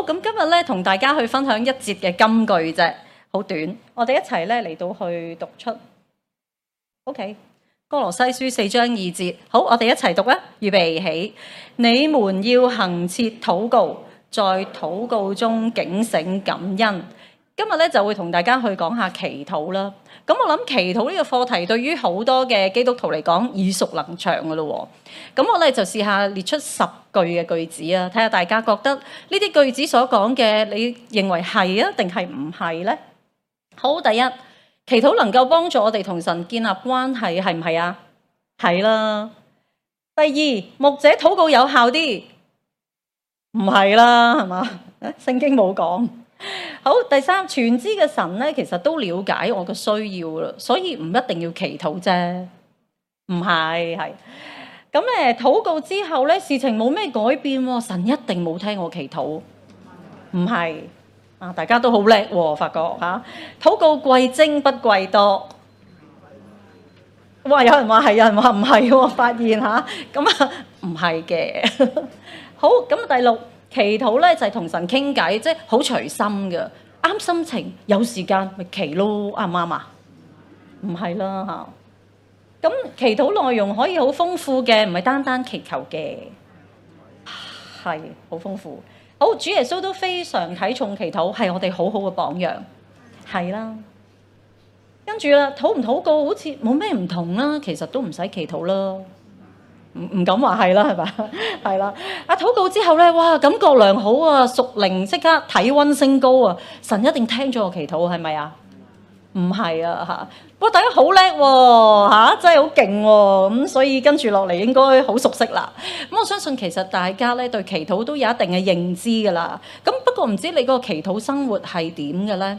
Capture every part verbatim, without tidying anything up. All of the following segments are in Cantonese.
咁今日咧同大家去分享一節嘅金句啫，好短，我哋一齊咧嚟到去讀出。OK， 歌羅西書四章二節，好，我哋一齊讀啊，預備起，你們要恆切禱告，在禱告中警醒感恩。今日咧就會同大家去講下祈禱啦。咁我諗祈禱呢個課題對於好多嘅基督徒嚟講耳熟能詳㗎咯喎。咁我咧就試下列出十句嘅句子啊，睇下大家覺得呢啲句子所講嘅，你認為係啊定係唔係呢？好，第一，祈禱能夠幫助我哋同神建立關係，係唔係啊？係啦。第二，牧者禱告有效啲，唔係啦，係嘛？聖經冇講。好，第三，全知嘅神咧，其實都了解我嘅需要啦，所以唔一定要祈禱啫。唔係，係咁咧，禱告之後咧，事情冇咩改變喎，神一定冇聽我祈禱。唔係啊，大家都好叻喎，發覺嚇，禱告貴精不貴多。哇！有人話係，有人話唔係喎，發現嚇，咁啊唔係嘅。好，咁第六。祈禱咧就係同神傾偈，即係好隨心嘅，啱心情有時間咪祈咯，啱唔啱啊？唔係啦嚇。咁祈禱內容可以好豐富嘅，唔係單單祈求嘅，係好豐富。好，主耶穌都非常睇重祈禱，係我哋好好嘅榜樣，係啦。跟住啦，禱唔禱告好似冇咩唔同啦，其實都唔使祈禱啦。唔唔敢話係啦，係嘛？係啦。啊，禱告之後咧，哇，感覺良好啊，屬靈即刻體溫升高啊！神一定聽咗我祈禱，係咪啊？唔係啊嚇！不過大家好叻喎嚇，真係好勁喎！咁所以跟住落嚟應該好熟悉啦。咁我相信其實大家咧對祈禱都有一定嘅認知㗎啦。咁不過唔知你個祈禱生活係點嘅咧？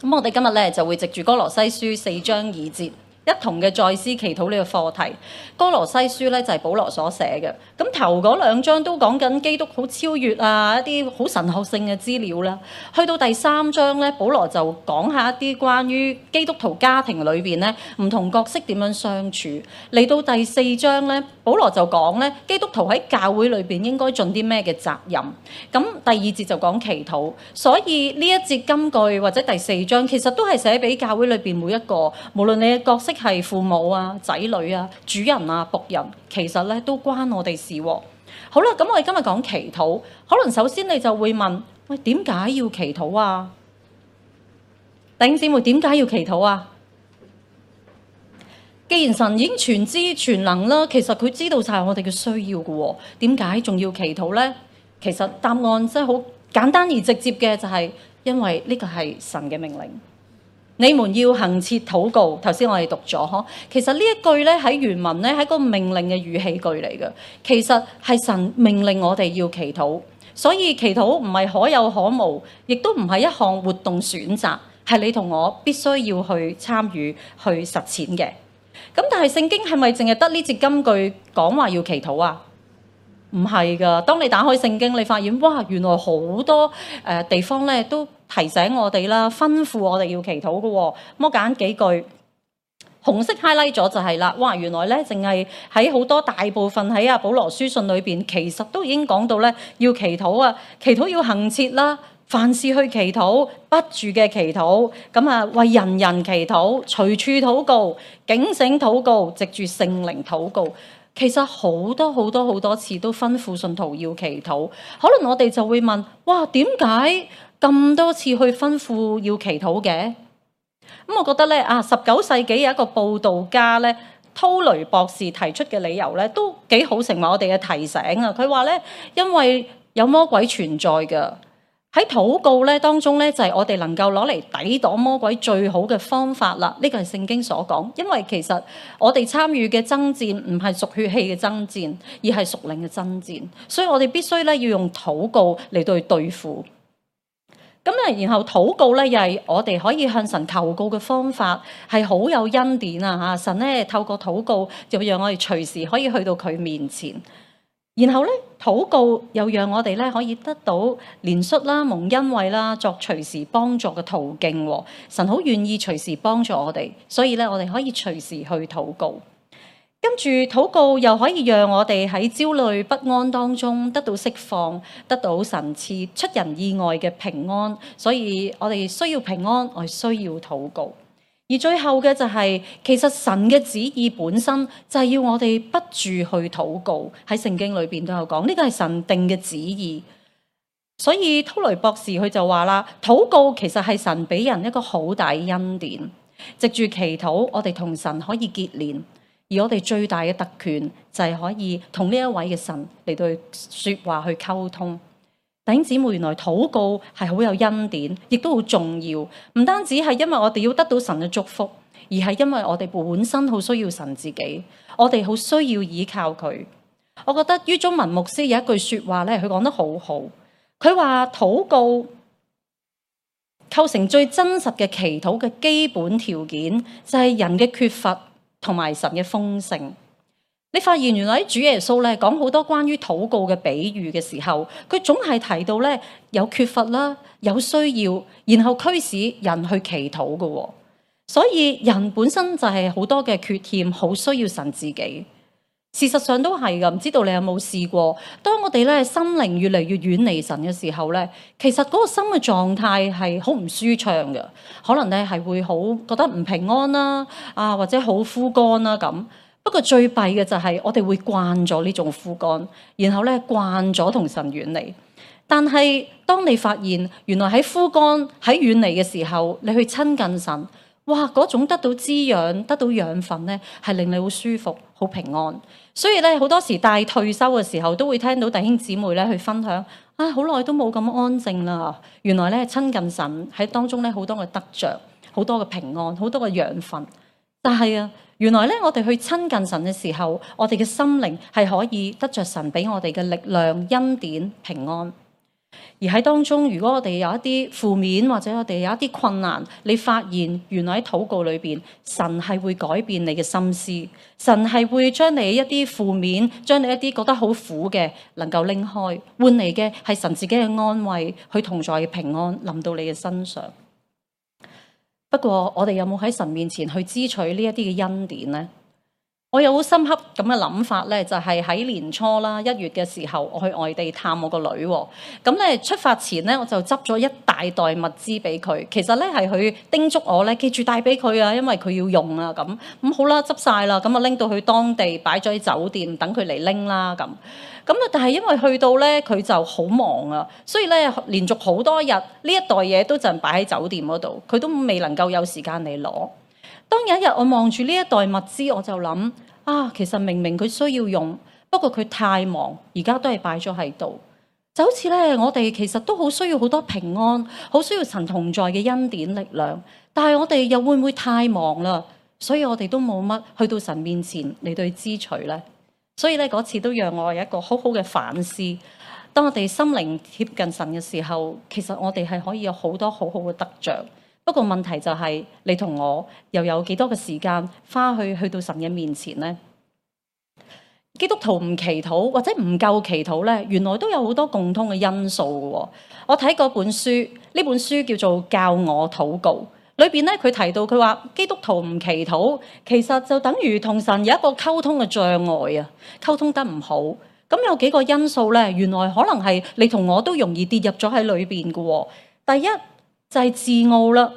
咁我哋今日咧就會藉住歌羅西書四章二節，一同嘅再思祈禱呢個課題。歌羅西書咧就係保羅所寫嘅，咁頭嗰兩章都講緊基督好超越啊，一啲好神學性嘅資料啦。去到第三章咧，保羅就講下一啲關於基督徒家庭裏邊咧唔同角色點樣相處。嚟到第四章咧，保羅就講咧基督徒喺教會裏邊應該盡啲咩嘅責任。咁第二節就講祈禱，所以呢一節金句或者第四章其實都係寫俾教會裏邊每一個，無論你嘅角色係父母啊、仔女啊、主人啊、僕人，其實咧都關我哋事喎。好啦，咁我哋今日講祈禱，可能首先你就會問：喂，點解要祈禱啊？弟兄姊妹，點解要祈禱啊？既然神已經全知全能啦，其實佢知道晒我哋嘅需要嘅喎，點解仲要祈禱呢？其實答案真係好簡單而直接嘅，就係因為呢個係神嘅命令。你們要恆切禱告，頭先我哋讀咗呵。其實呢一句咧喺原文咧係個命令嘅語氣句嚟嘅，其實係神命令我哋要祈禱，所以祈禱唔係可有可無，亦都唔係一項活動選擇，係你同我必須要去參與去實踐嘅。咁但係聖經係咪淨係得呢節金句講話要祈禱啊？唔係㗎，當你打開聖經，你發現哇，原來好多誒、呃、地方咧都提醒我哋啦，吩咐我哋要祈禱嘅喎。咁我揀幾句，紅色 highlight 咗就係啦。哇，原來咧淨係喺好多大部分喺阿保羅書信裏邊，其實都已經講到咧要祈禱啊，祈禱要恆切啦，凡事去祈禱，不住嘅祈禱，咁啊為人人祈禱，隨處禱告，警醒禱告，藉住聖靈禱告。其實好多好多好多次都吩咐信徒要祈禱，可能我哋就會問：哇，點解咁多次去吩咐要祈禱嘅？咁我覺得咧啊，十九世紀有一個佈道家咧，濤雷博士提出嘅理由咧，都幾好成為我哋嘅提醒啊！佢話咧，因為有魔鬼存在嘅。喺禱告咧當中咧，就係我哋能夠攞嚟抵擋魔鬼最好嘅方法啦。呢個係聖經所講，因為其實我哋參與嘅爭戰唔係屬血氣嘅爭戰，而係屬靈嘅爭戰，所以我哋必須咧要用禱告嚟對對付。咁啊，然後禱告咧又係我哋可以向神求告嘅方法，係好有恩典啊！嚇，神咧透過禱告就讓我哋隨時可以去到佢面前。然後咧，禱告又讓我哋咧可以得到憐恤啦、蒙恩惠啦，作隨時幫助嘅途徑。神好願意隨時幫助我哋，所以咧我哋可以隨時去禱告。跟住禱告又可以讓我哋喺焦慮不安當中得到釋放，得到神賜出人意外嘅平安。所以我哋需要平安，我哋需要禱告。而最後嘅就係、是，其實神嘅旨意本身就係要我哋不住去禱告。喺聖經裏邊都有講，呢個係神定嘅旨意。所以托雷博士佢就話啦，禱告其實係神俾人一個好大恩典，藉住祈禱，我哋同神可以結連。而我哋最大嘅特權就係可以同呢一位嘅神嚟到說話去溝通。弟兄姊妹，原來禱告係好有恩典，亦都好重要。唔單止係因為我哋要得到神嘅祝福，而係因為我哋本身好需要神自己，我哋好需要依靠佢。我覺得於中文牧師有一句說話咧，佢講得好好。佢話禱告構成最真實嘅祈禱嘅基本條件，就係人嘅缺乏同埋神嘅豐盛。你發現原來主耶穌咧講好多關於禱告嘅比喻嘅時候，佢總係提到咧有缺乏啦，有需要，然後驅使人去祈禱嘅。所以人本身就係好多嘅缺陷，好需要神自己。事實上都係噶，唔知道你有冇試過？當我哋咧心靈越嚟越遠離神嘅時候咧，其實嗰個心嘅狀態係好唔舒暢嘅，可能咧係會好覺得唔平安啦，啊或者好枯乾啦咁。不過最弊嘅就係我哋會慣咗呢種枯乾，然後咧慣咗同神遠離。但係當你發現原來喺枯乾喺遠離嘅時候，你去親近神，哇！嗰種得到滋養、得到養分咧，係令你好舒服、好平安。所以咧，好多時帶退休嘅時候，都會聽到弟兄姊妹咧去分享，啊，好耐都冇咁安靜啦。原來咧親近神喺當中咧好多嘅得着，好多嘅平安，好多嘅養分。但係啊，原來咧我哋去親近神嘅時候，我哋嘅心靈係可以得着神俾我哋嘅力量、恩典、平安。而喺當中，如果我哋有一啲負面或者我哋有一啲困難，你發現原來喺禱告裏邊，神係會改變你嘅心思，神係會將你一啲負面，將你一啲覺得好苦嘅能夠拎開，換嚟嘅係神自己嘅安慰，去同在嘅平安臨到你嘅身上。不過我哋有冇喺神面前去支取呢一啲嘅恩典呢？我有好深刻咁嘅諗法咧，就係喺年初啦，一月嘅時候，我去外地探我個女。咁咧出發前咧，我就執咗一大袋物資俾佢。其實咧係佢叮囑我咧，記住帶俾佢啊，因為佢要用啊。咁咁好啦，執晒啦，咁啊拎到去當地擺咗喺酒店，等佢嚟拎啦。咁咁啊，但係因為去到咧，佢就好忙啊，所以咧連續好多日呢一袋嘢都就擺喺酒店嗰度，佢都未能夠有時間嚟攞。當有一日我望住呢一袋物資，我就諗啊，其實明明佢需要用，不過佢太忙，而家都係擺咗喺度。就好似咧，我哋其實都好需要好多平安，好需要神同在嘅恩典力量。但係我哋又會唔會太忙啦？所以我哋都冇乜去到神面前嚟對支取咧。所以咧嗰次都讓我有一個好好嘅反思。當我哋心靈貼近神嘅時候，其實我哋係可以有好多好好嘅得着。不過問題就係、是、你同我又有幾多嘅時間花去去到神嘅面前呢？基督徒唔祈禱或者唔夠祈禱咧，原來都有好多共通嘅因素嘅。我睇過本書，呢本書叫做《教我禱告》，裏邊咧佢提到佢話基督徒唔祈禱，其實就等於同神有一個溝通嘅障礙啊，溝通得唔好。咁有幾個因素咧，原來可能係你同我都容易跌入咗喺裏邊嘅。第一就係自傲啦，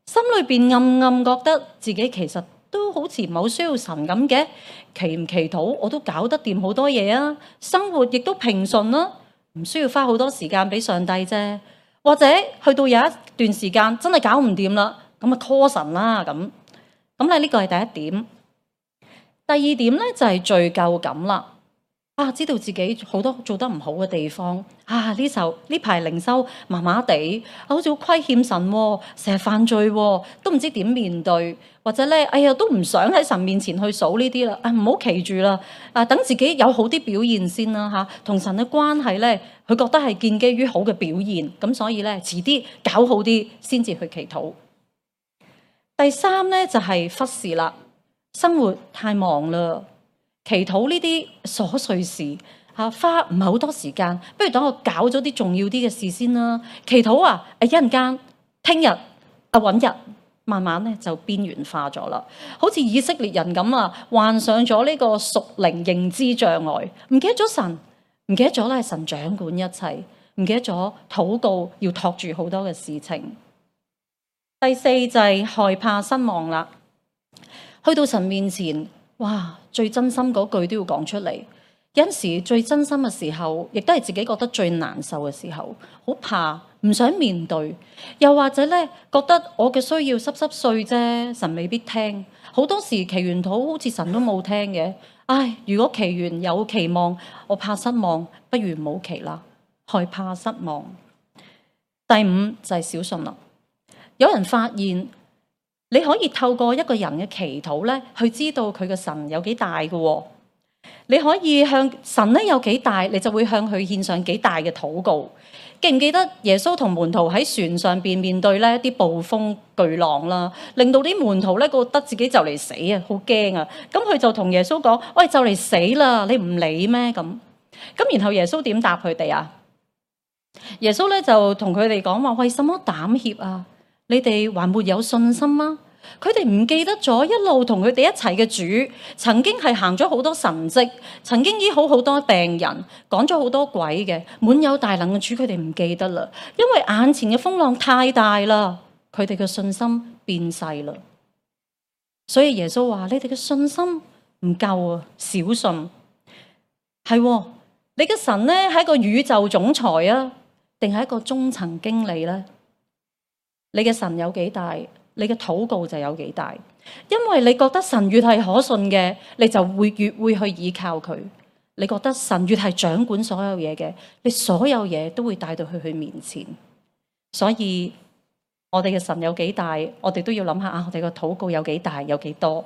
心裏邊暗暗覺得自己其實都好似唔係好需要神咁嘅，祈唔祈禱我都搞得掂好多嘢啊，生活亦都平順啦，唔需要花好多時間俾上帝啫。或者去到有一段時間真係搞唔掂啦，咁啊 call 神啦咁。咁咧呢個係第一點。第二點咧就係罪疚感啦。啊！知道自己好多做得唔好嘅地方啊！呢時候呢排靈修麻麻地，好似好虧欠神，成日犯罪，都唔知點面對，或者咧，哎呀，都唔想喺神面前去數呢啲啦。啊，唔好企住啦！啊，等自己有好啲表現先啦嚇。同神嘅關係咧，佢覺得係建基於好嘅表現，咁所以咧，遲啲搞好啲先至去祈禱。第三咧就係忽視啦，生活太忙啦。祈禱呢啲瑣碎事嚇，花唔係好多時間，不如等我搞咗啲重要啲嘅事先啦。祈禱啊，誒一陣間，聽日啊揾日，慢慢咧就邊緣化咗啦，好似以色列人咁啊，患上咗呢個屬靈認知障礙，唔記得咗神，唔記得咗咧神掌管一切，唔記得咗禱告要托住好多嘅事情。第四就係害怕失望啦，去到神面前，哇，最真心嗰句都要講出嚟。有陣時最真心嘅時候，亦都係自己覺得最難受嘅時候，好怕，唔想面對，又或者咧覺得我嘅需要濕濕碎啫，神未必聽。好多時祈完禱好似神都冇聽嘅，唉，如果祈完有期望，我怕失望，不如唔好祈啦，害怕失望。第五就係小信啦，有人發現你可以透過一個人嘅祈禱咧，去知道佢嘅神有幾大嘅喎。你可以向神咧有幾大，你就會向佢獻上幾大嘅禱告。記唔記得耶穌同門徒喺船上邊面對咧啲暴風巨浪啦，令到啲門徒咧覺得自己就嚟死啊，好驚啊！咁佢就同耶穌講：喂，就嚟死啦，你唔理咩？咁咁然後耶穌點答佢哋啊？耶穌咧就同佢哋講話：為什麼膽怯啊？你哋還沒有信心嗎？佢哋唔記得咗一路同佢哋一齊嘅主，曾經係行咗好多神蹟，曾經醫好好多病人，趕咗好多鬼嘅，滿有大能嘅主，佢哋唔記得啦，因為眼前嘅風浪太大啦，佢哋嘅信心變細啦。所以耶穌話：你哋嘅信心唔夠啊，小信。係喎，你嘅神呢係一個宇宙總裁啊，定係一個中層經理呢？你嘅神有幾大？你嘅禱告就有幾大，因為你覺得神越係可信嘅，你就會越會去依靠佢。你覺得神越係掌管所有嘢嘅，你所有嘢都會帶到去佢面前。所以我哋嘅神有幾大，我哋都要諗下啊，我哋嘅禱告有幾大，有幾多。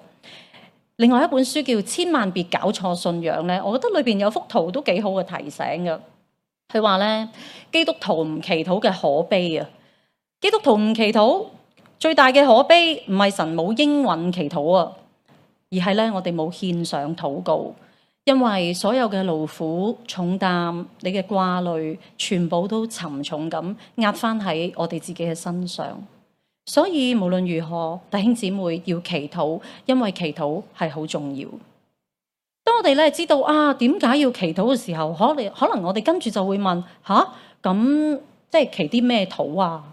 另外一本書叫《千萬別搞錯信仰》咧，我覺得裏邊有幅圖都幾好嘅提醒嘅。佢話咧，基督徒唔祈禱嘅可悲啊！基督徒唔祈禱。最大嘅可悲唔係神冇應允祈禱啊，而係咧我哋冇獻上禱告，因為所有嘅勞苦重擔、你嘅掛慮，全部都沉重咁壓翻喺我哋自己嘅身上。所以無論如何，弟兄姊妹要祈禱，因為祈禱係好重要。當我哋咧知道啊點解要祈禱嘅時候，可能可能我哋跟住就會問吓，咁即係祈啲咩禱啊？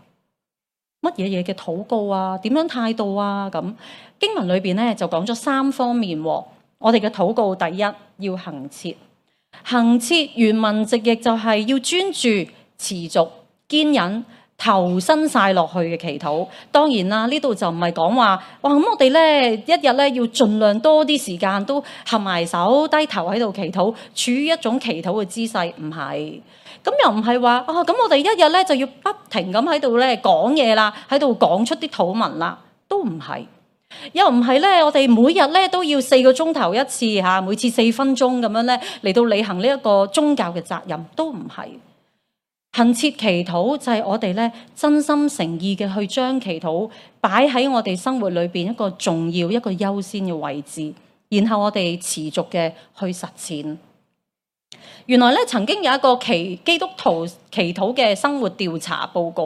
乜嘢嘢嘅禱告啊？點樣態度啊？咁經文裏邊咧就講咗三方面。我哋嘅禱告，第一要恆切，恆切原文直譯就係要專注、持續、堅忍、投身晒落去嘅祈禱。當然啦，呢度就唔係講話哇咁，我哋咧一日咧要盡量多啲時間都合埋手低頭喺度祈禱，處於一種祈禱嘅姿勢，唔係。咁又唔係話啊，咁我哋一日咧就要不停咁喺度咧講嘢啦，喺度講出啲禱文啦，都唔係。又唔係咧，我哋每日咧都要四個鐘頭一次嚇，每次四分鐘咁樣咧嚟到履行呢一個宗教嘅責任，都唔係。恆切祈禱就係我哋咧真心誠意嘅去將祈禱擺喺我哋生活裏邊一個重要、一個優先嘅位置，然後我哋持續嘅去實踐。原來咧曾經有一個祈基督徒祈禱嘅生活調查報告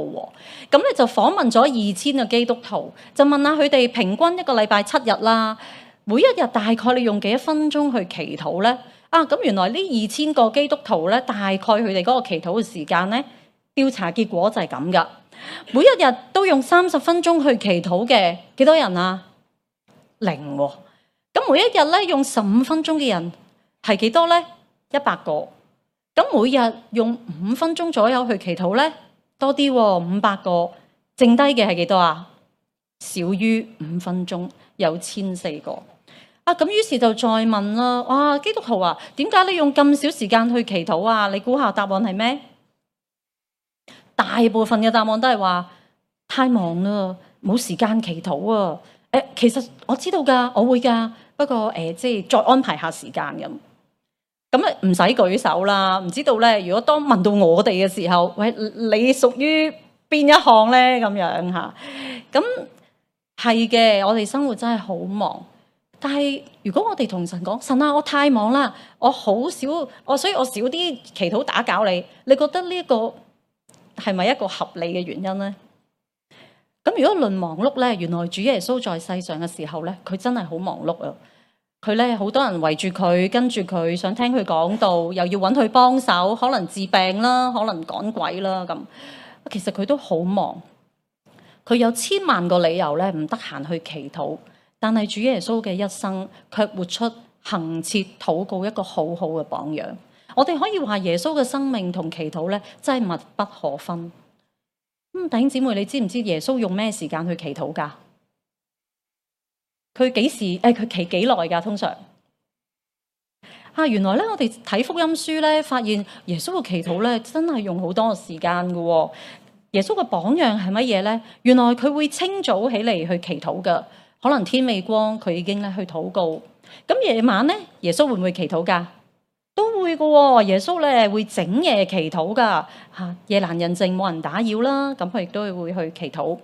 喎，咁咧就訪問咗二千個基督徒，就問下佢哋平均一個禮拜七日啦，每一日大概你用幾多分鐘去祈禱咧？啊，咁原來呢二千個基督徒咧，大概佢哋嗰個祈禱嘅時間咧，調查結果就係咁噶，每一日都用三十分鐘去祈禱嘅幾多人啊？零喎。咁每一日咧用十五分鐘嘅人係幾多咧？一百個。咁每日用五分鐘左右去祈禱咧，多啲喎，五百個。剩低嘅係幾多啊？少於五分鐘，有千四個。啊，咁於是就再問啦。哇，基督徒啊，點解你用咁少時間去祈禱啊？你估下答案係咩？大部分嘅答案都係話太忙啦，冇時間祈禱啊。誒，其實我知道㗎，我會㗎，不過誒，即係再安排下時間咁。咁啊，唔使舉手啦。唔知道咧，如果當問到我哋嘅時候，喂，你屬於邊一項咧？咁樣嚇，咁係嘅。我哋生活真係好忙，但係如果我哋同神講，神啊，我太忙啦，我好少，我所以我少啲祈禱打攪你。你覺得呢一個係咪一個合理嘅原因咧？咁咁如果論忙碌咧，原來主耶穌在世上嘅時候咧，佢真係好忙碌啊！佢咧好多人圍住佢，跟住佢想聽佢講道，又要揾佢幫手，可能治病啦，可能趕鬼啦咁。其實佢都好忙，佢有千萬個理由咧唔得閒去祈禱，但係主耶穌嘅一生卻活出恆切禱告一個好好嘅榜樣。我哋可以話耶穌嘅生命同祈禱咧真係密不可分。咁弟兄姊妹，你知唔知耶穌用咩時間去祈禱㗎？佢幾時？誒，佢祈幾耐㗎？通常啊，原來咧，我哋睇福音書咧，發現耶穌嘅祈禱咧，真係用好多嘅時間嘅喎。耶穌嘅榜樣係乜嘢咧？原來佢會清早起嚟去祈禱嘅，可能天未光，佢已經咧去禱告。咁夜晚咧，耶穌會唔會祈禱㗎？都會嘅喎。耶穌咧會整夜祈禱㗎嚇，夜闌人靜冇人打擾啦，咁佢亦都會去祈禱。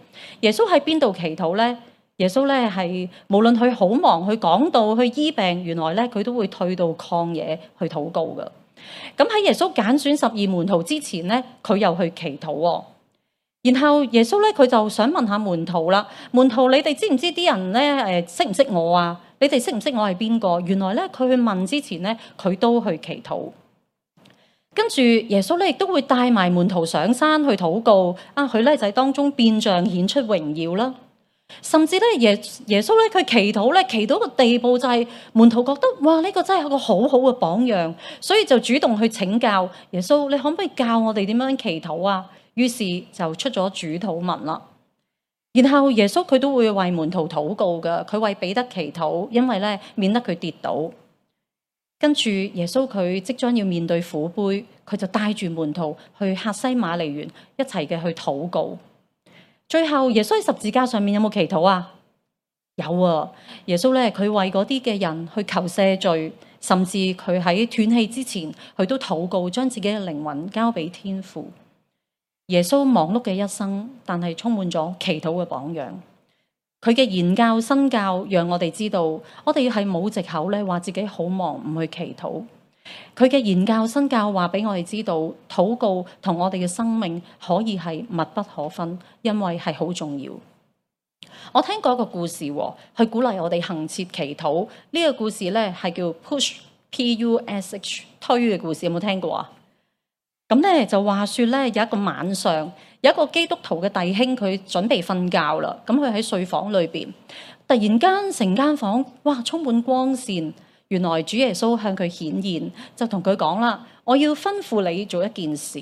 耶穌喺邊度祈禱咧？耶穌咧係無論佢好忙去講道去醫病，原來咧佢都會退到曠野去禱告嘅。咁喺耶穌揀選十二門徒之前咧，佢又去祈禱喎。然後耶穌咧佢就想問下門徒啦，門徒，你哋知唔知啲人咧誒識唔識我啊？你哋識唔識我係邊個？原來咧佢去問之前咧，佢都去祈禱。跟住耶穌咧亦都會帶埋門徒上山去禱告啊！佢咧就喺當中變像顯出榮耀啦。甚至咧耶耶穌咧佢祈禱咧祈到個地步就係門徒覺得哇，呢個真係一個好好嘅榜樣，所以就主動去請教耶穌，你可唔可以教我哋點樣祈禱啊？於是就出咗主禱文啦。然後耶穌佢都會為門徒禱告㗎，佢為彼得祈禱，因為咧免得佢跌倒。跟住耶穌佢即將要面對苦杯，佢就帶住門徒去客西馬尼園一齊嘅去禱告。最後耶穌喺十字架上面有冇祈禱啊？有啊！耶穌咧佢為嗰啲嘅人去求赦罪，甚至佢喺斷氣之前，佢都禱告，將自己嘅靈魂交俾天父。耶穌忙碌嘅一生，但係充滿咗祈禱嘅榜樣。佢嘅言教身教，讓我哋知道，我哋係冇藉口咧，話自己好忙唔去祈禱。佢嘅言教身教話俾我哋知道，禱告同我哋嘅生命可以係密不可分，因為係好重要。我聽過一個故事，去鼓勵我哋恆切祈禱。呢、這個故事咧係叫 push P U S H 推嘅故事，有冇聽過啊？咁咧就話說咧，有一個晚上，有一個基督徒嘅弟兄，佢準備瞓覺啦。咁佢喺睡房裏邊，突然間成間房哇充滿光線。原來主耶穌向佢顯現，就同佢講啦：我要吩咐你做一件事。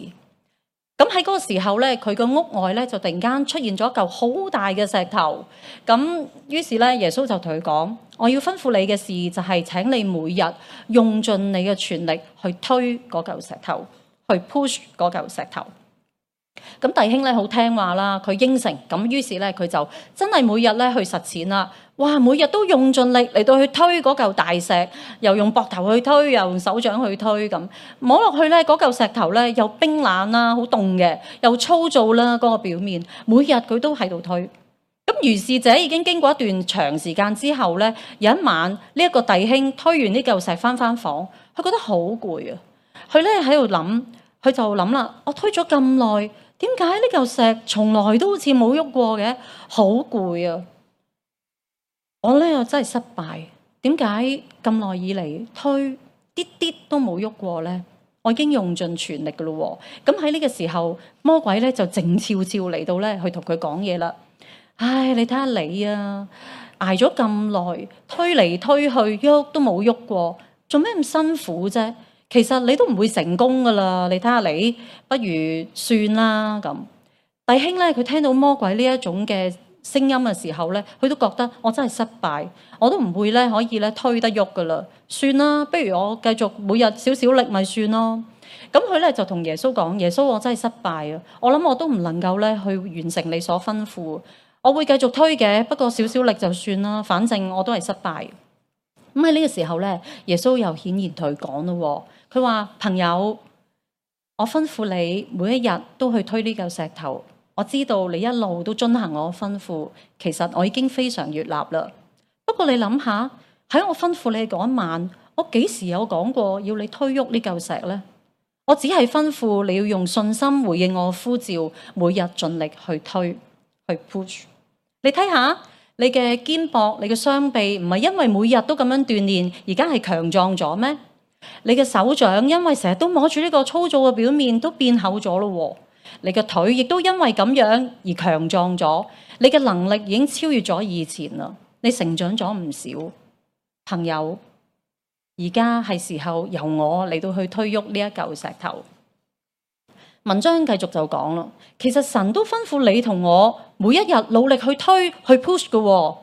咁喺嗰個時候咧，佢個屋外咧就突然間出現咗一嚿好大嘅石頭。咁於是咧，耶穌就同佢講：我要吩咐你嘅事就係請你每日用盡你嘅全力去推嗰嚿石頭，去 push 嗰嚿石頭。咁弟兄咧好聽話啦，佢應承。咁於是咧佢就真係每日咧去實踐啦。哇！每日都用盡力嚟到去推嗰嚿大石，又用膊頭去推，又用手掌去推，咁摸落去咧，嗰嚿石頭咧又冰冷啦，好凍嘅，又粗糙啦，嗰個表面。每日佢都喺度推。咁如是者已經經過一段長時間之後咧，有一晚呢一個弟兄推完呢嚿石翻翻房，佢覺得好攰啊！佢咧喺度諗，佢就諗啦：我推咗咁耐，點解呢嚿石從來都好似冇喐過嘅？好攰啊！我咧又真係失敗，點解咁耐以嚟推啲啲都冇喐過咧？我已經用盡全力噶咯喎！咁喺呢個時候，魔鬼咧就靜悄悄嚟到咧，去同佢講嘢啦。唉，你睇下你啊，捱咗咁耐，推嚟推去，喐都冇喐過，做咩咁辛苦啫？其實你都唔會成功噶啦，你睇下你，不如算啦咁。弟兄咧，佢聽到魔鬼呢一種嘅聲音嘅時候咧，佢都覺得我真係失敗，我都唔會咧可以咧推得喐噶啦，算啦，不如我繼續每日少少力咪算咯。咁佢咧就同耶穌講：耶穌，我真係失敗啊！我諗我都唔能夠咧去完成你所吩咐，我會繼續推嘅，不過少少力就算啦，反正我都係失敗。咁喺呢個時候咧，耶穌又顯然同佢講咯，佢話：朋友，我吩咐你每一日都去推呢嚿石頭。我知道你一路都遵行我吩咐，其實我已經非常悅納啦。不過你諗下，喺我吩咐你嗰一晚，我幾時有講過要你推喐呢嚿石呢？我只係吩咐你要用信心回應我呼召，每日盡力去推，去 push。你睇下你嘅肩膊、你嘅雙臂，唔係因為每日都咁樣鍛鍊，而家係強壯咗咩？你嘅手掌因為成日都摸住呢個粗糙嘅表面，都變厚咗咯。你嘅腿亦都因為咁樣而強壯咗，你嘅能力已經超越咗以前啦。你成長咗唔少，朋友。而家係時候由我嚟到去推喐呢一嚿石頭。文章繼續就講啦，其實神都吩咐你同我每一日努力去推去 push 嘅喎。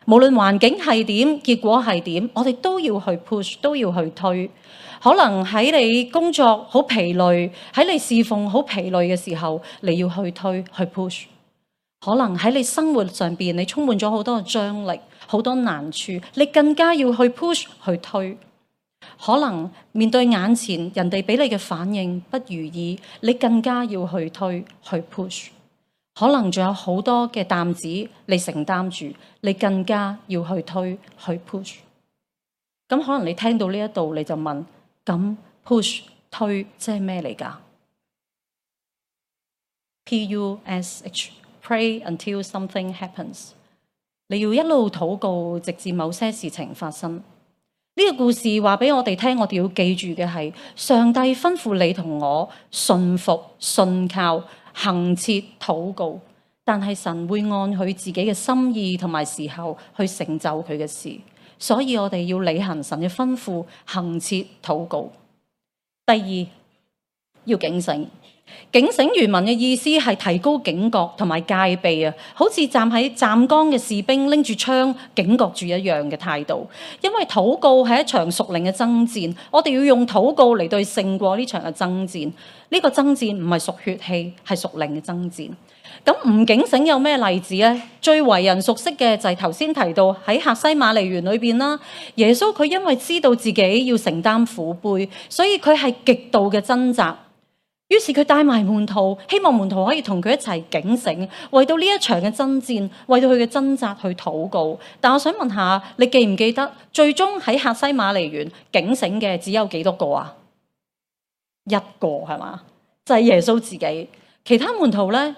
無論環境係點，結果係點，我哋都要去 push， 都要去推。可能喺你工作好疲累，喺你侍奉好疲累嘅時候，你要去推去 push。可能喺你生活上邊，你充滿咗好多嘅張力，好多難處，你更加要去 push 去推。可能面對眼前人哋俾你嘅反應不如意，你更加要去推去 push。可能仲有好多嘅擔子你承擔住，你更加要去推去 push。咁可能你聽到呢一度，你就問：咁 push 推即係咩嚟㗎？P U S H Pray until something happens。你要一路禱告，直至某些事情發生。呢個故事話俾我哋聽，我哋要記住嘅係上帝吩咐你同我信服、信靠、恆切禱告，但係神會按佢自己嘅心意同埋時候去成就佢嘅事，所以我哋要履行神嘅吩咐，恆切禱告。第二，要警醒。警醒原文嘅意思係提高警覺同埋戒備啊，好似站喺站崗嘅士兵拎住槍警覺住一樣嘅態度。因為禱告係一場屬靈嘅爭戰，我哋要用禱告嚟對勝過呢場嘅爭戰。呢、這個爭戰唔係屬血氣，係屬靈嘅爭戰。咁唔警醒有咩例子呢？最為人熟悉嘅就係頭先提到喺客西馬尼園裏邊啦。耶穌佢因為知道自己要承擔苦杯，所以佢係極度嘅掙扎。於是佢帶埋門徒，希望門徒可以同佢一齊警醒，為到呢一場嘅爭戰，為到佢嘅掙扎去禱告。但我想問下，你記唔記得最終喺客西馬尼園警醒嘅只有幾多個啊？一個係嘛？就係耶穌自己。其他門徒咧，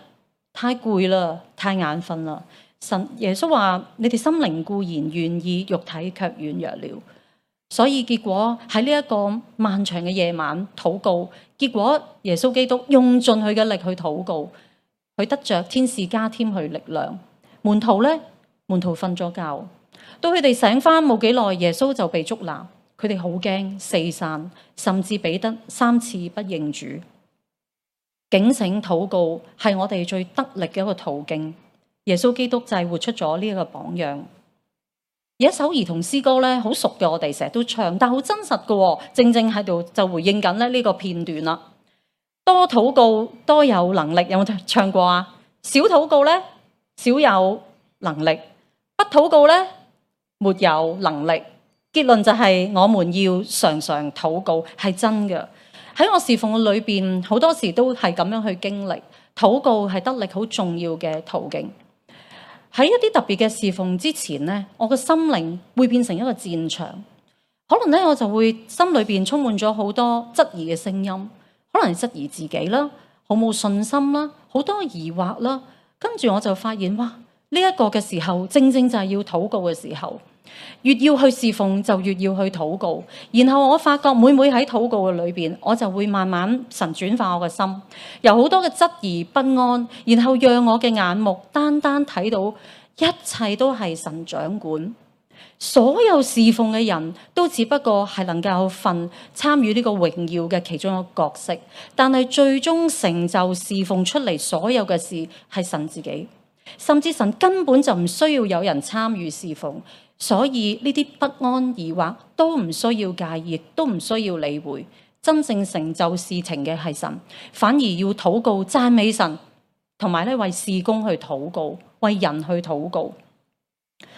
太攰啦，太眼瞓啦。神耶穌話：你哋心靈固然願意，肉體卻軟弱了。所以結果喺呢一個漫長嘅夜晚禱告，結果耶穌基督用盡佢嘅力去禱告，佢得着天使加添佢力量。門徒咧，門徒瞓咗覺，到佢哋醒翻冇幾耐，耶穌就被捉拿，佢哋好驚四散，甚至彼得三次不認主。警醒禱告係我哋最得力嘅一個途徑，耶穌基督就係活出咗呢一個榜樣。有一首兒童詩歌咧，好熟嘅，我哋成日都唱，但好真實嘅，正正喺度就回應緊咧呢個片段啦。多禱告多有能力，有冇唱過啊？少禱告咧，少有能力；不禱告咧，沒有能力。結論就係我們要常常禱告，係真嘅。喺我侍奉嘅裏邊，好多時都係咁樣去經歷，禱告係得力好重要嘅途徑。喺一啲特別嘅侍奉之前呢，我嘅心靈會變成一個戰場，可能咧我就會心裏邊充滿咗好多質疑嘅聲音，可能係質疑自己啦，好冇信心啦，好多疑惑啦，跟住我就發現哇，呢一個嘅時候正正就係要禱告嘅時候，越要去侍奉就越要去禱告，然後我發覺每每喺禱告嘅裏邊，我就會慢慢神轉化我嘅心，由好多嘅質疑不安，然後讓我嘅眼目單單睇到一切都係神掌管，所有侍奉嘅人都只不過係能夠份參與呢個榮耀嘅其中一個角色，但係最終成就侍奉出嚟所有嘅事係神自己，甚至神根本就唔需要有人參與侍奉。所以呢啲不安疑惑都唔需要介意，亦都唔需要理會。真正成就事情嘅係神，反而要禱告讚美神，同埋咧為事工去禱告，為人去禱告。呢、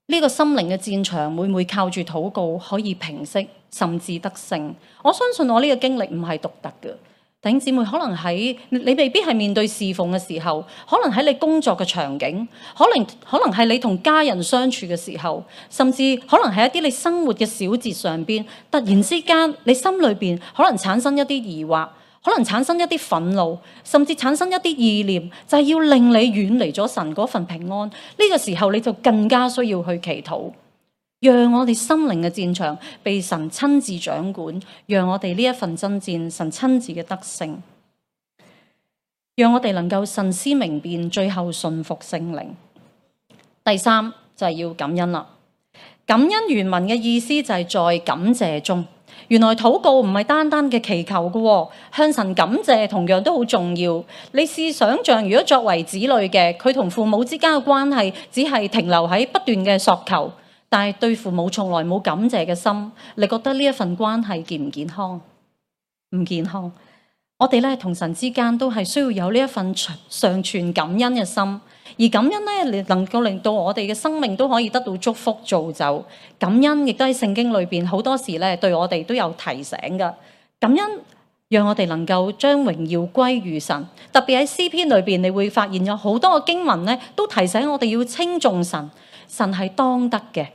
這個心靈嘅戰場會唔會靠住禱告可以平息，甚至得勝？我相信我呢個經歷唔係獨特嘅。弟兄姊妹，可能喺你未必係面對侍奉嘅時候，可能喺你工作嘅場景，可能可能係你同家人相處嘅時候，甚至可能係一啲你生活嘅小節上邊，突然之間你心裏邊可能產生一啲疑惑，可能產生一啲憤怒，甚至產生一啲意念，就係要令你遠離咗神嗰份平安。呢個時候你就更加需要去祈禱，讓我哋心靈嘅戰場被神親自掌管，讓我哋呢一份爭戰神親自嘅得勝，讓我哋能夠神思明辨，最後順服聖靈。第三就係要感恩啦。感恩原文嘅意思就係在感謝中。原來禱告唔係單單嘅祈求嘅，向神感謝同樣都好重要。你試想像，如果作為子女嘅，佢同父母之間嘅關係只係停留喺不斷嘅索求，但係對父母從來冇感謝嘅心，你覺得呢一份關係健唔健康？唔健康。我哋咧同神之間都係需要有呢一份常存感恩嘅心。而感恩咧，能夠令到我哋嘅生命都可以得到祝福造就。感恩亦都喺聖經裏邊好多時咧，對我哋都有提醒㗎。感恩讓我哋能夠將榮耀歸於神。特別喺詩篇裏邊，你會發現有好多嘅經文咧，都提醒我哋要稱頌神，神係當得嘅。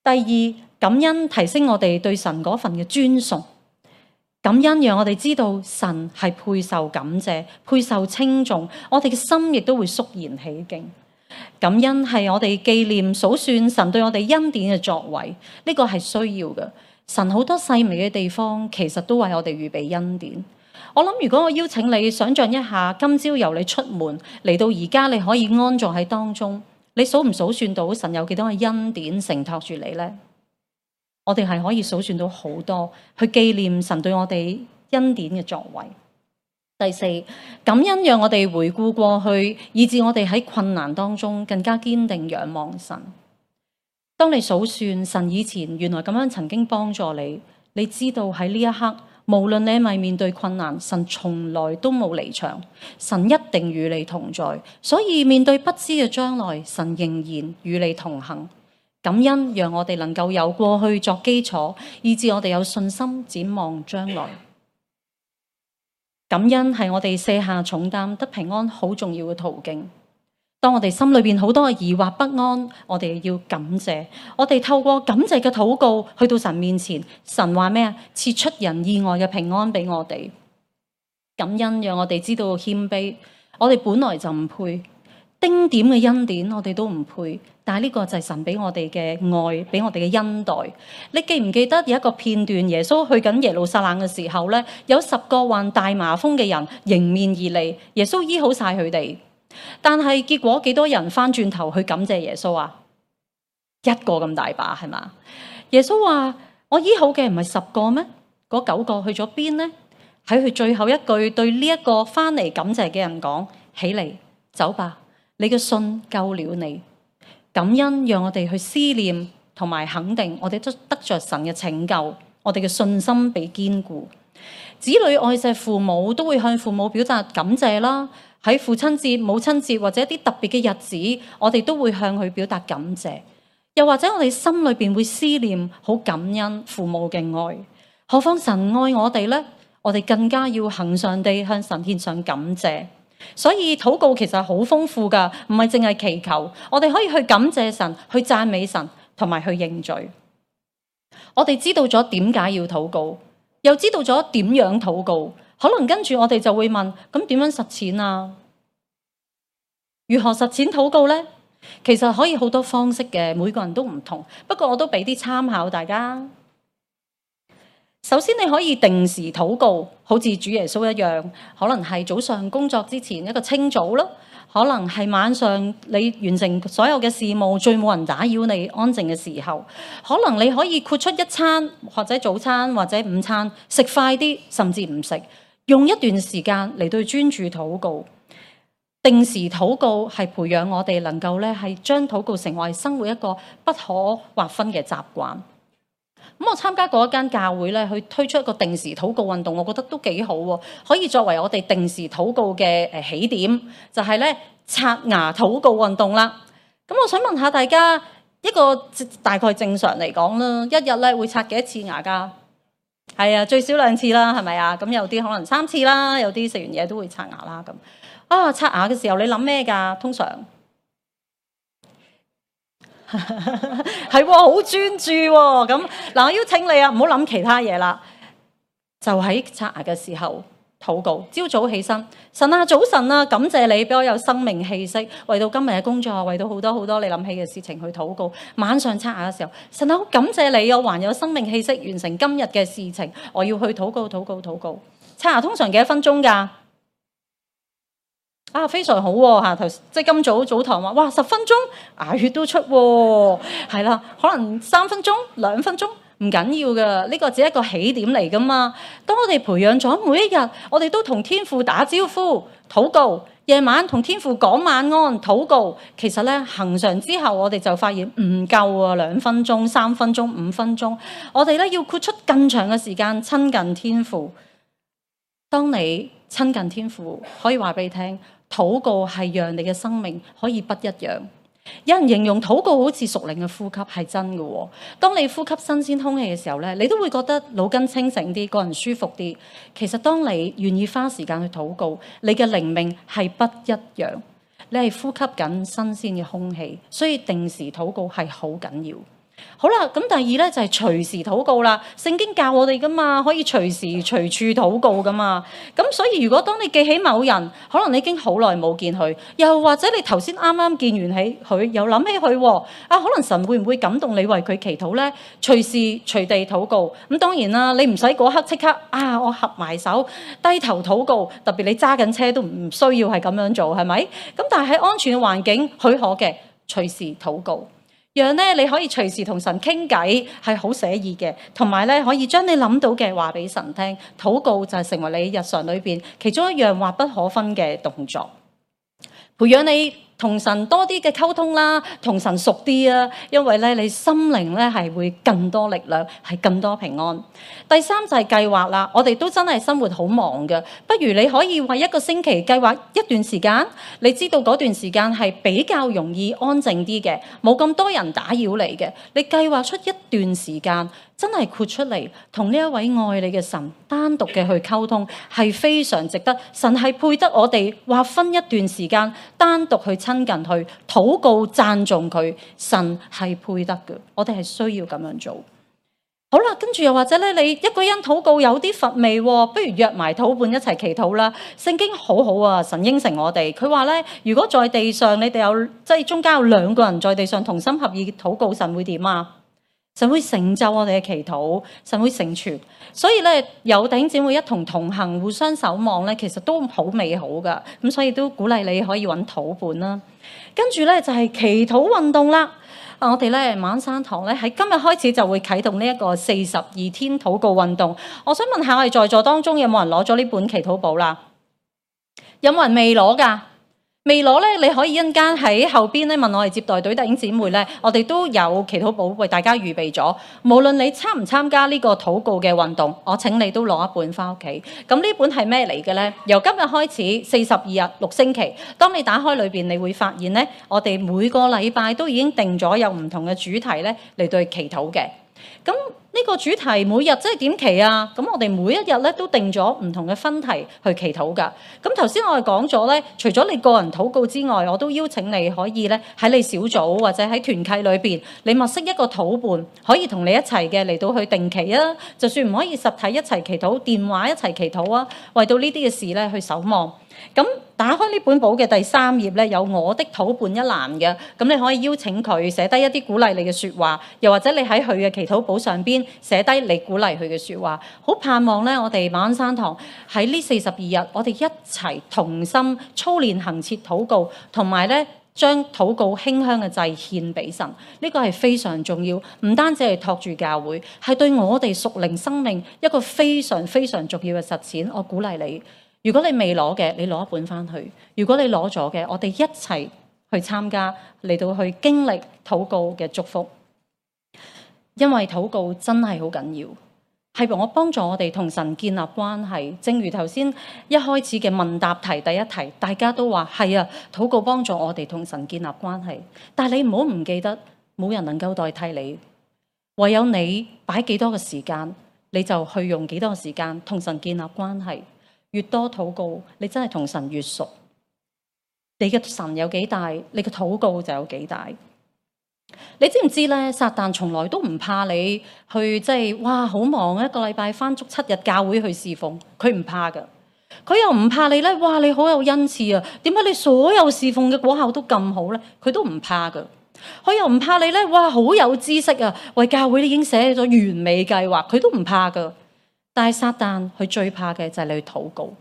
第二，感恩提升我哋對神嗰份嘅尊崇。感恩讓我哋知道神係配受感謝、配受稱頌，我哋嘅心亦都會肅然起敬。感恩係我哋紀念數算神對我哋恩典嘅作為，呢個係需要嘅。神好多細微嘅地方，其實都為我哋預備恩典。我諗如果我邀請你想象一下，今朝由你出門嚟到而家，你可以安坐喺當中，你數唔數算到神有幾多嘅恩典承托住你呢？我哋係可以數算到好多，去紀念神對我哋恩典嘅作為。第四，感恩讓我哋回顧過去，以致我哋喺困難當中更加堅定仰望神。當你數算神以前原來咁樣曾經幫助你，你知道喺呢一刻，無論你係咪面對困難，神從來都冇離場，神一定與你同在。所以面對不知嘅將來，神仍然與你同行。感恩讓我哋能夠有過去作基礎，以致我哋有信心展望將來。感恩係我哋卸下重擔得平安好重要嘅途徑。當我哋心裏邊好多嘅疑惑不安，我哋要感謝。我哋透過感謝嘅禱告去到神面前，神話咩啊？賜出人意外嘅平安俾我哋。感恩讓我哋知道謙卑，我哋本來就唔配。丁點嘅恩典我哋都唔配，但係呢個就係神俾我哋嘅愛，俾我哋嘅恩待。你記唔記得有一個片段，耶穌去緊耶路撒冷嘅時候咧，有十個患大麻風嘅人迎面而嚟，耶穌醫好晒佢哋。但係結果幾多人翻轉頭去感謝耶穌啊？一個咁大把係嘛？耶穌話：我醫好嘅唔係十個咩？嗰九個去咗邊呢？喺佢最後一句對呢一個翻嚟感謝嘅人講：起嚟，走吧。你嘅信救了你。感恩讓我哋去思念同埋肯定，我哋都得着神嘅拯救，我哋嘅信心被堅固。子女愛錫父母都會向父母表達感謝啦。喺父親節、母親節或者一啲特別嘅日子，我哋都會向佢表達感謝。又或者我哋心裏邊會思念好感恩父母嘅愛。何況神愛我哋呢？我哋更加要恆常地向神獻上感謝。所以禱告其實好豐富㗎，唔係淨係祈求，我哋可以去感謝神，去讚美神，同埋去認罪。我哋知道咗點解要禱告，又知道咗點樣禱告，可能跟住我哋就會問：咁點樣實踐啊？如何實踐禱告呢？其實可以好多方式嘅，每個人都唔同。不過我都俾啲參考大家。首先你可以定時禱告，好似主耶穌一樣，可能係早上工作之前一個清早啦，可能係晚上你完成所有嘅事務，最冇人打擾你安靜嘅時候，可能你可以豁出一餐或者早餐或者午餐，食快啲，甚至唔食，用一段時間嚟到專注禱告。定時禱告係培養我哋能夠咧係將禱告成為生活一個不可劃分嘅習慣。咁我參加過一間教會咧，去推出一個定時禱告運動，我覺得都幾好喎，可以作為我哋定時禱告嘅誒起點，就係咧刷牙禱告運動啦。咁我想問下大家，一個大概正常嚟講啦，一日咧會刷幾多次牙㗎？係啊，最少兩次啦，係咪啊？咁有啲可能三次啦，有啲食完嘢都會刷牙啦。咁啊，刷牙嘅時候你諗咩㗎？通常係喎，好專注喎。咁嗱，我邀請你啊，唔好諗其他嘢啦，就喺刷牙嘅時候禱告，朝早起身，神啊，早晨啊，感謝你俾我有生命氣息，為到今日嘅工作，為到好多好多你諗起嘅事情去禱告。晚上刷牙嘅時候，神啊，好感謝你，我還有生命氣息，完成今日嘅事情，我要去禱告禱告禱告。刷牙通常幾多分鐘㗎？啊，非常好喎、啊！頭即係今早早堂話，哇，十分鐘牙血都出喎、啊，係啦，可能三分鐘、兩分鐘。唔緊要㗎，呢個只係一個起點嚟㗎嘛。當我哋培養咗每一日，我哋都同天父打招呼、禱告，夜晚同天父講晚安、禱告。其實咧，恆常之後，我哋就發現唔夠啊，兩分鐘、三分鐘、五分鐘，我哋咧要豁出更長嘅時間親近天父。當你親近天父，可以話俾你聽，禱告係讓你嘅生命可以不一樣。有人形容禱告好似屬靈嘅呼吸，係真嘅喎。當你呼吸新鮮空氣嘅時候咧，你都會覺得腦筋清醒啲，個人舒服啲。其實當你願意花時間去禱告，你嘅靈命係不一樣。你係呼吸緊新鮮嘅空氣，所以定時禱告係好緊要。好啦，咁第二咧就係隨時禱告啦。聖經教我哋噶嘛，可以隨時隨處禱告噶嘛。咁所以如果當你記起某人，可能你已經好耐冇見佢，又或者你頭先啱啱見完起佢，又諗起佢喎，啊，可能神會唔會感動你為佢祈禱咧？隨時隨地禱告。咁當然啦，你唔使嗰刻即刻啊，我合埋手低頭禱告。特別你揸緊車都唔需要係咁樣做，係咪？咁但係喺安全嘅環境許可嘅，隨時禱告。讓咧你可以隨時同神傾偈，係好寫意嘅，同埋咧可以將你諗到嘅話俾神聽。禱告就係成為你日常裏邊其中一樣密不可分嘅動作，培養你同神多啲嘅溝通啦，同神熟啲啊，因為咧你心靈咧係會更多力量，係更多平安。第三就係計劃啦，我哋都真係生活好忙嘅，不如你可以為一個星期計劃一段時間，你知道嗰段時間係比較容易安靜啲嘅，冇咁多人打擾你嘅，你計劃出一段時間。真係豁出嚟，同呢一位愛你嘅神單獨嘅去溝通，係非常值得。神係配得我哋劃分一段時間，單獨去親近佢，禱告讚頌佢。神係配得嘅，我哋係需要咁樣做。好啦，跟住又或者咧，你一個人禱告有啲乏味，不如約埋禱伴一齊祈禱啦。聖經好好啊，神應承我哋，佢話咧，如果在地上你哋有即係中間有兩個人在地上同心合意禱告，神會點啊？神會成就我哋嘅祈禱，神會成全，所以咧有弟兄姊妹一同同行，互相守望咧，其實都好美好噶。咁所以都鼓勵你可以揾禱伴啦。跟住咧就係祈禱運動啦。啊，我哋咧馬鞍山堂咧喺今日開始就會啟動呢一個四十二天禱告運動。我想問下我哋在座當中有冇人攞咗呢本祈禱簿啦？有冇人未攞㗎？未攞咧，你可以一陣間喺後邊咧問我哋接待隊弟兄姊妹咧，我哋都有祈禱簿為大家預備咗。無論你參唔參加呢個禱告嘅運動，我請你都攞一本翻屋企。咁呢本係咩嚟嘅咧？由今日開始四十二日六星期，當你打開裏邊，你會發現咧，我哋每個禮拜都已經定咗有唔同嘅主題咧嚟對祈禱嘅。咁呢個主題每日即係點祈啊？咁我哋每一日咧都定咗唔同嘅分題去祈禱噶。咁頭先我哋講咗咧，除咗你個人禱告之外，我都邀請你可以咧喺你小組或者喺團契裏邊，你物色一個禱伴，可以同你一齊嘅嚟到去定期啊。就算唔可以實體一齊祈禱，電話一齊祈禱啊，為到呢啲嘅事咧去守望。咁打開呢本簿嘅第三頁咧，有我的禱伴一欄嘅，咁你可以邀請佢寫低一啲鼓勵你嘅説話，又或者你喺佢嘅祈禱簿上邊寫低你鼓勵佢嘅説話。好盼望咧，我哋馬鞍山堂喺呢四十二日，我哋一齊同心操練恆切禱告，同埋咧將禱告馨香嘅祭獻俾神。呢個係非常重要，唔單止係托住教會，係對我哋屬靈生命一個非常非常重要嘅實踐。我鼓勵你。如果你未攞嘅，你攞一本翻去；如果你攞咗嘅，我哋一齊去參加，嚟到去經歷禱告嘅祝福。因為禱告真係好緊要，係我幫助我哋同神建立關係。正如頭先一開始嘅問答題第一題，大家都話係啊，禱告幫助我哋同神建立關係。但係你唔好唔記得，冇人能夠代替你，唯有你擺幾多嘅時間，你就去用幾多嘅時間同神建立關係。越多禱告，你真係同神越熟。你嘅神有幾大，你嘅禱告就有幾大。你知唔知咧？撒旦從來都唔怕你去，即係哇好忙一個禮拜返足七日教會去侍奉，佢唔怕㗎。佢又唔怕你咧，哇！你好有恩賜啊，點解你所有侍奉嘅果效都咁好咧？佢都唔怕噶。佢又唔怕你咧，哇！好有知識啊，為教會已經寫咗完美計劃，佢都唔怕噶。但係撒旦佢最怕嘅就係你去禱告，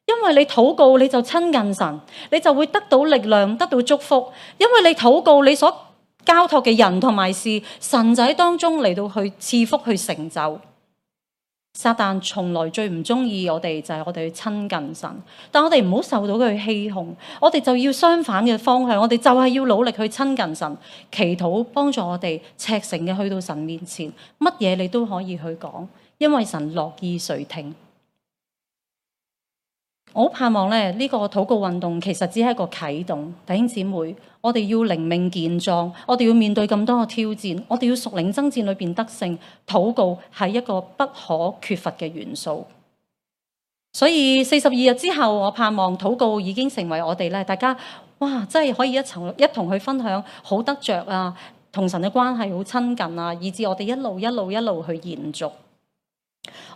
因為你禱告你就親近神，你就會得到力量，得到祝福。因為你禱告，你所交託嘅人同埋事，神就喺當中嚟到去賜福去成就。撒旦從來最唔中意我哋就係我哋去親近神，但我哋唔好受到佢欺哄，我哋就要相反嘅方向，我哋就係要努力去親近神，祈禱幫助我哋赤誠嘅去到神面前，乜嘢你都可以去講，因為神樂意垂聽。我好盼望咧，呢個禱告運動其實只係一個啟動。弟兄姊妹，我哋要靈命健壯，我哋要面對咁多嘅挑戰，我哋要屬靈爭戰裏邊得勝。禱告係一個不可缺乏嘅元素。所以四十二日之後，我盼望禱告已經成為我哋咧，大家哇，真係可以一齊一同去分享好得着啊，同神嘅關係好親近啊，以至我哋一路一路一路去延續。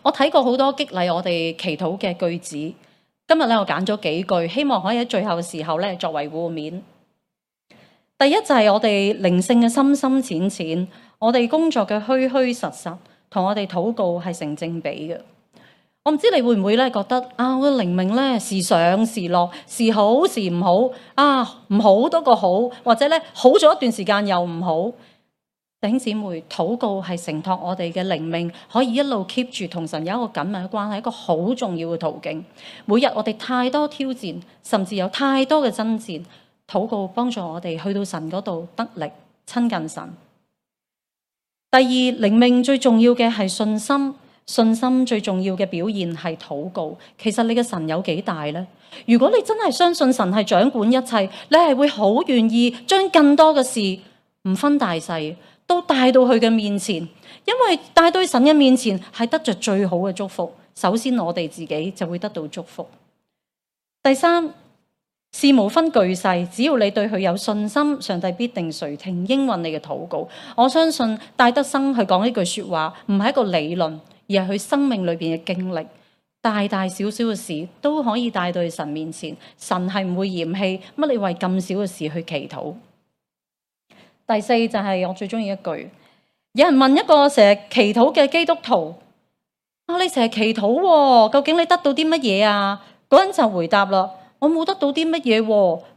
我睇過好多激勵我哋祈禱嘅句子。今日咧，我揀咗幾句，希望可以喺最後嘅時候咧作為互勉。第一就係我哋靈性嘅深深淺淺，我哋工作嘅虛虛實實，同我哋禱告係成正比嘅。我唔知你會唔會咧覺得啊，我嘅靈命咧時上時落，時好時唔好啊，唔好多個好，或者咧好咗一段時間又唔好。弟兄姊妹，禱告係承托我哋嘅靈命，可以一路 keep 住同神有一個緊密嘅關係，一個好重要嘅途徑。每日我哋太多挑戰，甚至有太多嘅爭戰，禱告幫助我哋去到神嗰度得力，親近神。第二，靈命最重要嘅係信心，信心最重要嘅表現係禱告。其實你嘅神有幾大呢？如果你真係相信神係掌管一切，你係會好願意將更多嘅事唔分大細，都帶到佢嘅面前，因為帶到神嘅面前係得着最好嘅祝福。首先我哋自己就會得到祝福。第三，事無分巨細，只要你對佢有信心，上帝必定垂聽應允你嘅禱告。我相信戴德生去講呢句說話，唔係一個理論，而係佢生命裏邊嘅經歷。大大小小嘅事都可以帶到去神面前，神係唔會嫌棄乜你為咁少嘅事去祈禱。第四就係我最中意一句，有人問一個成日祈禱嘅基督徒，啊，你成日祈禱，究竟你得到啲乜嘢啊？嗰人就回答啦，我冇得到啲乜嘢，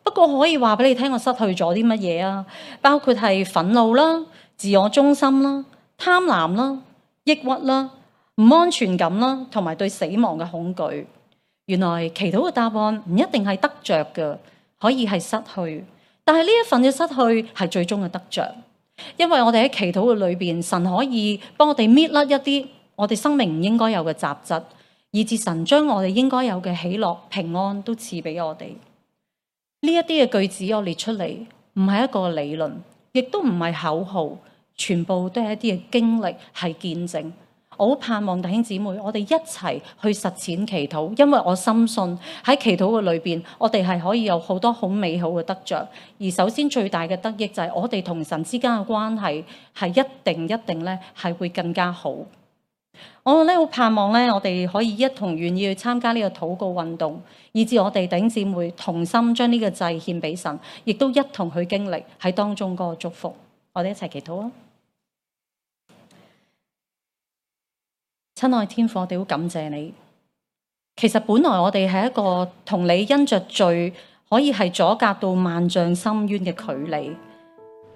不過可以話俾你聽，我失去咗啲乜嘢啊？包括係憤怒啦、自我中心啦、貪婪啦、抑鬱啦、唔安全感啦，同埋對死亡嘅恐懼。原來祈禱嘅答案唔一定係得着嘅，可以係失去。但係呢一份嘅失去係最終嘅得着，因為我哋喺祈禱嘅裏邊，神可以幫我哋搣甩一啲我哋生命唔應該有嘅雜質，以至神將我哋應該有嘅喜樂、平安都賜俾我哋。呢一啲嘅句子我列出嚟，唔係一個理論，亦都唔係口號，全部都係一啲嘅經歷，係見證。我好盼望弟兄姊妹，我哋一齊去實踐祈禱，因為我深信喺祈禱嘅裏邊，我哋係可以有好多好美好嘅得着。而首先最大嘅得益就係我哋同神之間嘅關係係一定一定咧係會更加好。我咧好盼望咧，我哋可以一同願意去參加呢個禱告運動，以至我哋弟兄姊妹同心將呢個祭獻俾神，亦都一同去經歷喺當中嗰個祝福。我哋一齊祈禱啊！親愛天父，我哋好感謝你。其實本來我哋係一個同你因着罪可以係阻隔到萬丈深淵嘅距離，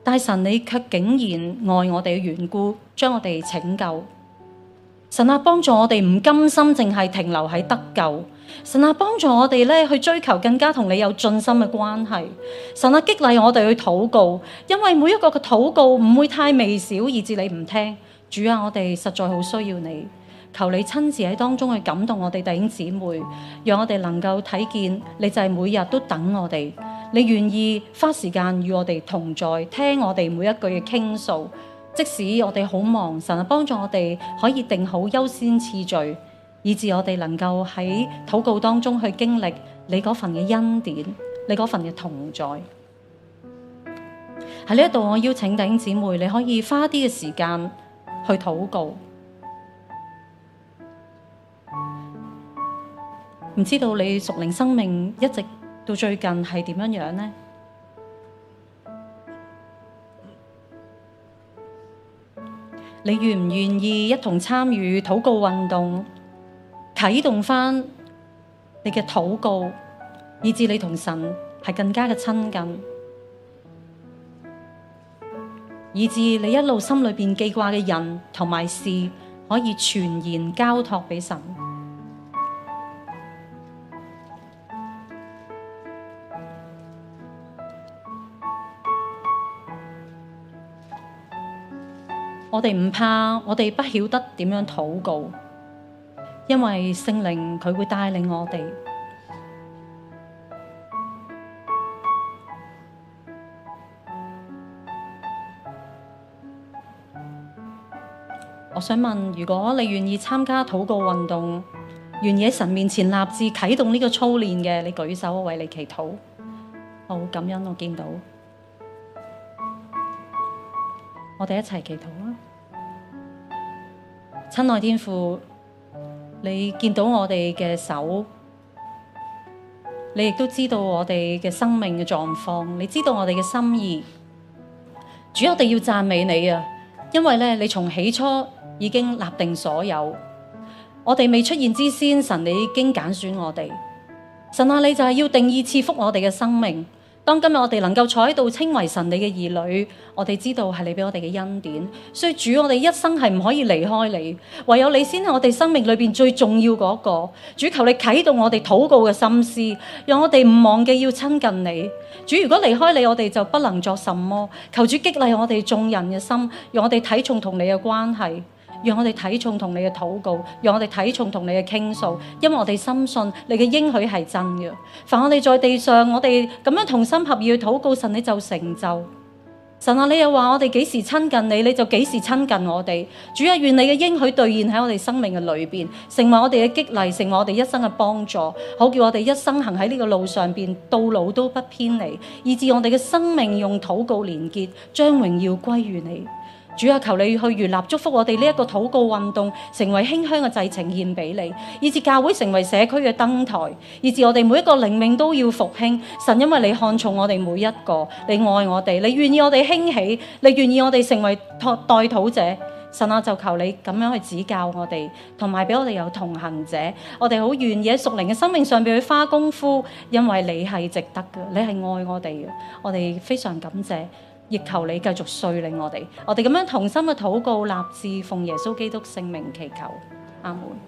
但係神你卻竟然愛我哋嘅緣故，將我哋拯救。神啊，幫助我哋唔甘心淨係停留喺得救。神啊，幫助我哋咧去追求更加同你有盡心嘅關係。神啊，激勵我哋去禱告，因為每一個嘅禱告唔會太微小，以致你唔聽。主啊，我哋實在好需要你。求你親自喺當中去感動我哋弟兄姊妹，讓我哋能夠睇見你就係每日都等我哋，你願意花時間與我哋同在，聽我哋每一句嘅傾訴。即使我哋好忙，神啊，幫助我哋可以定好優先次序，以致我哋能夠喺禱告當中去經歷你嗰份嘅恩典，你嗰份嘅同在。喺呢一度，我邀請弟兄姊妹，你可以花啲嘅時間去禱告。唔知道你屬靈生命一直到最近係點樣樣呢？你願唔願意一同參與禱告運動，啟動返你嘅禱告，以致你同神係更加嘅親近，以致你一路心裏邊記掛嘅人同埋事，可以全然交託俾神。我哋唔怕，我哋不曉得點樣禱告，因為聖靈佢會帶領我哋。我想問，如果你願意參加禱告運動，願意喺神面前立志啟動呢個操練嘅，你舉手，我為你祈禱。好感恩，我見到。我哋一齊祈禱啦！親愛天父，你見到我哋嘅手，你亦都知道我哋嘅生命嘅狀況，你知道我哋嘅心意。主，我哋要讚美你啊！因為咧，你從起初已經立定所有，我哋未出現之先，神你已經揀選我哋。神啊，你就係要定義賜福我哋嘅生命。當今日我哋能夠坐喺度稱為神你嘅兒女，我哋知道係你俾我哋嘅恩典，所以主，我哋一生係唔可以離開你，唯有你先係我哋生命裏邊最重要嗰個。主，求你啟動我哋禱告嘅心思，讓我哋唔忘記要親近你。主，如果離開你，我哋就不能作什麼。求主激勵我哋眾人嘅心，讓我哋睇重同你嘅關係，讓我哋睇重同你嘅禱告，讓我哋睇重同你嘅傾訴，因為我哋深信你嘅應許係真嘅。凡我哋在地上，我哋咁樣同心合意去禱告，神你就成就。神啊，你又話我哋幾時親近你，你就幾時親近我哋。主啊，願你嘅應許兌現喺我哋生命嘅裏邊，成為我哋嘅激勵，成為我哋一生嘅幫助，好叫我哋一生行喺呢個路上邊，到老都不偏離，以致我哋嘅生命用禱告連結，將榮耀歸於你。主啊，求你去悅納祝福我哋呢一個禱告運動，成為馨香嘅祭呈獻俾你，以致教會成為社區嘅燈台，以致我哋每一個靈命都要復興。神，因為你看重我哋每一個，你愛我哋，你願意我哋興起，你願意我哋成為代禱者。神啊，就求你咁樣去指教我哋，同埋俾我哋有同行者。我哋好願意喺屬靈嘅生命上邊去花功夫，因為你係值得嘅，你係愛我哋嘅。我哋非常感謝。亦求你繼續率領我哋，我哋咁樣同心嘅禱告立志，奉耶穌基督聖名祈求，阿門。